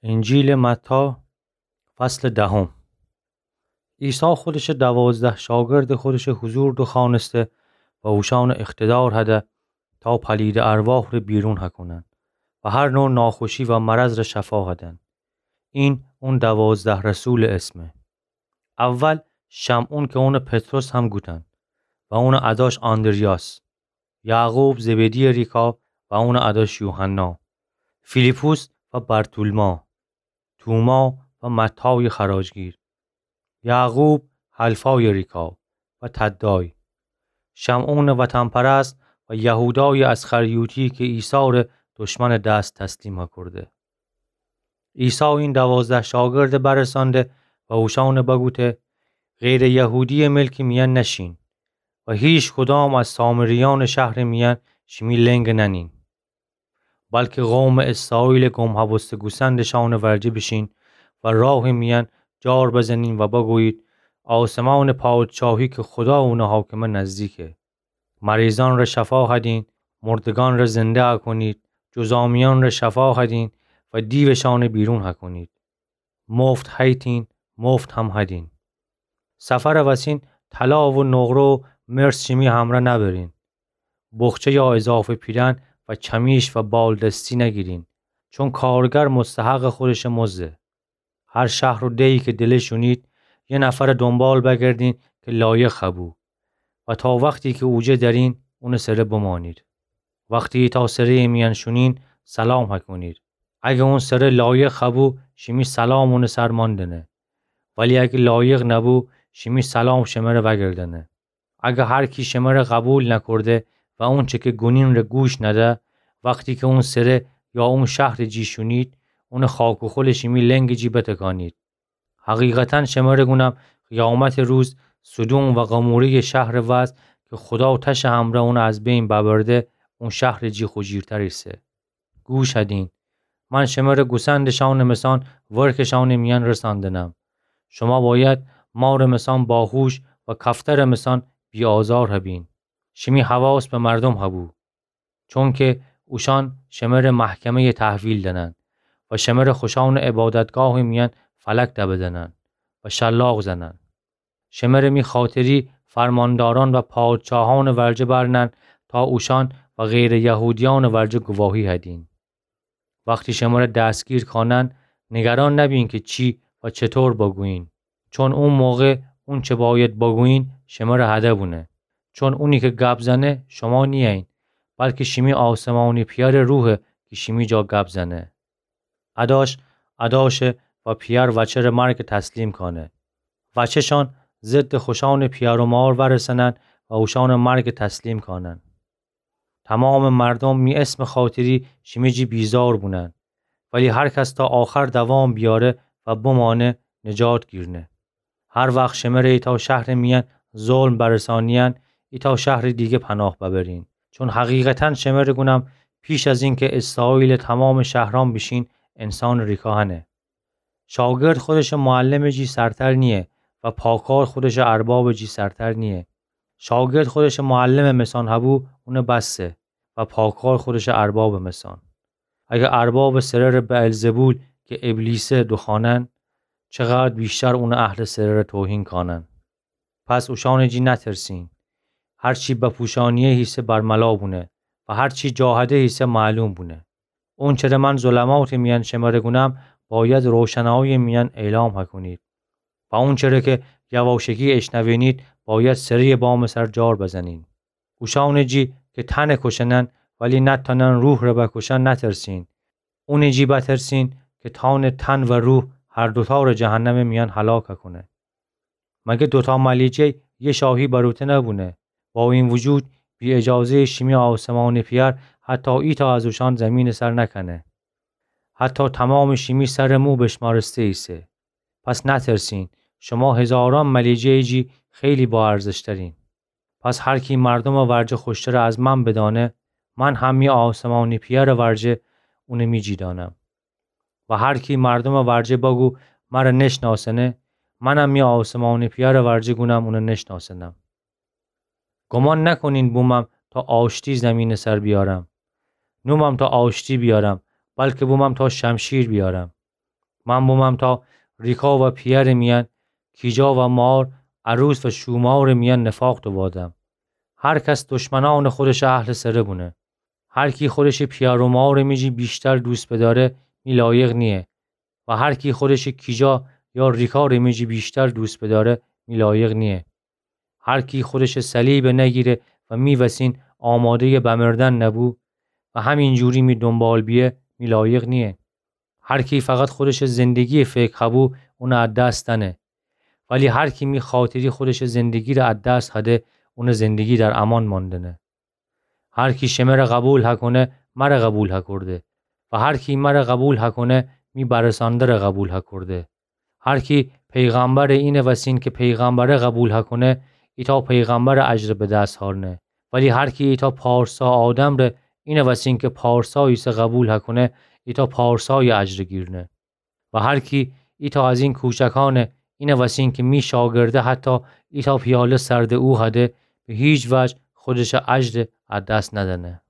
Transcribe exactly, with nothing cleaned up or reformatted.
انجیلٚ متی، فصلٚ دهم. عیسی خودشٚ دوازده شاگردٚ خودشٚ حضور دوخوأنسته و اوشأنٚ اقتدار هده تا پلیدٚ ارواح ره بیرون هکونن و هر نوع ناخوشی و مرض ره شفا هدن. این اون دوازده رسولٚ اسمه. اول شمعون که اونٚ پطرس هم گوتن و اونٚ اداش آندریاس، یعقوب زبدی‌یٚ ریکا و اونٚ اداش یوحنا، فیلیپوس و برتولما، توما و متایٚ خراجگیر، یعقوب حلفایٚ ریکا و تدای، شمعونٚ وطن‌پرست و یهودایٚ اسخریوطی که عیسی ره دشمنٚ دس تسلیم کرده. عیسی این دوازده شاگرده برسانده و اوشأنه بگوته: غیرٚ یهودی‌یٚ ملکٚ میأن نشین و هیچ کدام از سامریأنٚ شهرٚ میأن شیمی لنگ ننین، بلکه قومٚ اسرائیلٚ گم هبوسته گوسندٚ شأنٚ ورجه بیشین و راهٚ میأن جار بزنین و بگویید: آسمانٚ پادشاهی که خدا اون حاکمه نزدیکه. مریضأن ره شفا هدین، مردگأن ره زنده هکونید، جذامیأن ره شفا هدین و دیوشأنه بیرون هکونید. مفت هیتین، مفت هم هدین. سفرٚ وسین طلا و نقره و مس شیمی همره نبرین. بخچه یا اضافه پیرن و چمیش و بالدستی نگیرین، چون کارگر مستحقٚ خودشٚ مزده. هر شهر و دهی که دلش شونید، یه نفرٚ دنبال بگردین که لایق هبو و تا وختی که اوجه درین، اونٚ سره بمانید. وختی ایتأ سره‌یٚ میأن شونین، سلام هکونید. اگه اون سره لایق هبو، شیمی سلام اونٚ سر ماندنه. ولی اگه لایق نبو، شیمی سلام شمره وأگردنه. اگه هر کی شمره قبول نکرده و اونچه که گونین ره گوش نده، وختی که اون سره یا اون شهرٚ جی شونید، اونٚ خاک و خولٚ شیمی لنگٚ جی بتکانید. حقیقتاً شمره گونم، قیامتٚ روز سدوم و قموره‌یٚ شهرٚ وضع که خدا تشٚ همره اون از بین ببرده، اون شهرٚ جی خوجیرتر ایسه. گوش هدین. من شمره گوسندٚ شأنٚ مسان ورکٚ شأنٚ میأن رساندنم. شما بأید مارٚ مسان باهوش و کفترٚ مسان بی‌آزار هبین. شیمی حواس به مردوم هبو، چونکه اوشأن شمره محکمه‌یٚ تحویل دنن و شمره خوشأنٚ عبادتگاهٚ میأن فلک دبدنن و شلاق زنن. شمره می خاطری فرماندارأن و پادشاهأنٚ ورجه برنن تا اوشأن و غیرٚ یهودیأنٚ ورجه گواهی هدین. وختی شمره دستگیر کانن، نگران نبین که چی و چطور بگویین، چون او موقع اونچه بأید بگویین شمره هده بونه. چون اونی که گپ زنه شما نییین، بلکه شیمی آسمانی پئرٚ روحه که شیمی جا گپ زنه. اداش، اداشه و پئر وچه ره مرگٚ تسلیم کانه. وچه‌شان ضدٚ خوشأنٚ پئر و مار ورسنن و اوشأنٚ مرگٚ تسلیم کانن. تومامٚ مردوم می اسمٚ خاطری شیمی جی بیزار بونن، ولی هر کس تا آخر دوام بیاره و بمانه، نجات گیرنه. هر وخت شمره ایتأ شهرٚ میأن ظلم برسانیین، ایتأ شهرٚ دیگه پناه ببرین. چون حقیقتاً شمره گونم، پیش از اینکه اسرائیلٚ تومامٚ شهرأن بیشین، انسانٚ ریکا هنه. شاگرد خودشٚ معلمٚ جی سرتر نییه و پاکار خودشٚ اربابٚ جی سرتر نییه. شاگرد خودشٚ معلمٚ مسان هبو، اونٚ بسه و پاکار خودشٚ اربابٚ مسان. اگه اربابٚ سره‌ره بعلزبول که ابلیسه دوخوانن، چقدر بیشتر اونٚ اهلٚ سره‌ره توهین کانن. پس اوشأنٚ جی نترسین. هر چی بپوشانیه هیسه برملا بونه و هر چی جا هده هیسه معلوم بونه. اونچره من ظلماتٚ میأن شمره گونم، بأید روشنایی‌یٚ میأن اعلام هکونید. و اونچره که یواشکی اشنوینید، بأید سره‌یٚ بامٚ سر جار بزنین. اوشأنٚ جی که تنٚ کوشنن، ولی نتأنن روحٚ ره بکوشن، نترسین. اونٚ جی بترسین که تأنه تن و روح هر دوتا ره جهنمٚ میأن هلاک کونه. مگه دوتا ملیجه یه شاهی بروته نبونه؟ با این وجود، بی اجازه‌یٚ شیمی آسمانٚ پئر حتی ایتأ از اوشأن زیمینٚ سر نکنه. حتی تومامٚ شیمی سرٚ مو بشمارسته ایسه. پس نترسین، شما هزارأن ملیجه‌یٚ جی خیلی با ارزشترین. پس هر کی مردومٚ ورجه خوشتره از من بدأنه، من هم می آسمانٚ پئرٚ ورجه اونه می جی دأنم. و هر کی مردومٚ ورجه بگو مره نشناسنه، منم می آسمانٚ پئرٚ ورجه گونم اونه نشناسنم. گمان نکنین بومم تا آشتی زیمینٚ سر بیارم. نومم تا آشتی بیارم، بلکه بومم تا شمشیر بیارم. من بومم تا ریکا و پیرٚ میأن، کیجا و مار، عروس و شومارٚ میأن نفاق دووادم. هر کس دشمنأنٚ خودشٚ اهلٚ سره بونه. هر کی خودشٚ پیأر و مارٚ میجی ویشتر دوست بدأره، می لایق نییه. و هر کی خودشٚ کیجا یا ریکارٚ میجی ویشتر دوست بدأره، می لایق نییه. هر کی خودشٚ صلیب نگیره و می وسین آماده‌یٚ بمردن نبو و همینجوری می دونبال بیه، می لایق نییه. هر کی فقط خودشٚ زندگییٚ فکر هبو، اونٚ ا دس دأنه. ولی هر کی می خاطری خودشٚ زندگی ره ا دس هده، اونٚ زندگی در امان ماندنه. هر کی شمره قبول هکونه، مره قبول هکورده. و هر کی مره قبول هکونه، می برسانده ره قبول هکورده. هر کی پیغمبرٚ اینٚ وسین کی پیغمبره قبول هکونه، ایتأ پیغمبرٚ اجر به دس هأرنه. ولی هر کی ایتأ پارسا آدم ره اینٚ وسین کی پارسا ایسه قبول هکونه، ایتأ پارسایٚ اجر گیرنه. و هر کی ایتأ از این کوچکأنٚ اینٚ وسین کی می شاگرده حتی ایتأ پیاله سردٚ او هده، به هیچ وجه خودشٚ اجر ا دس ندأنه.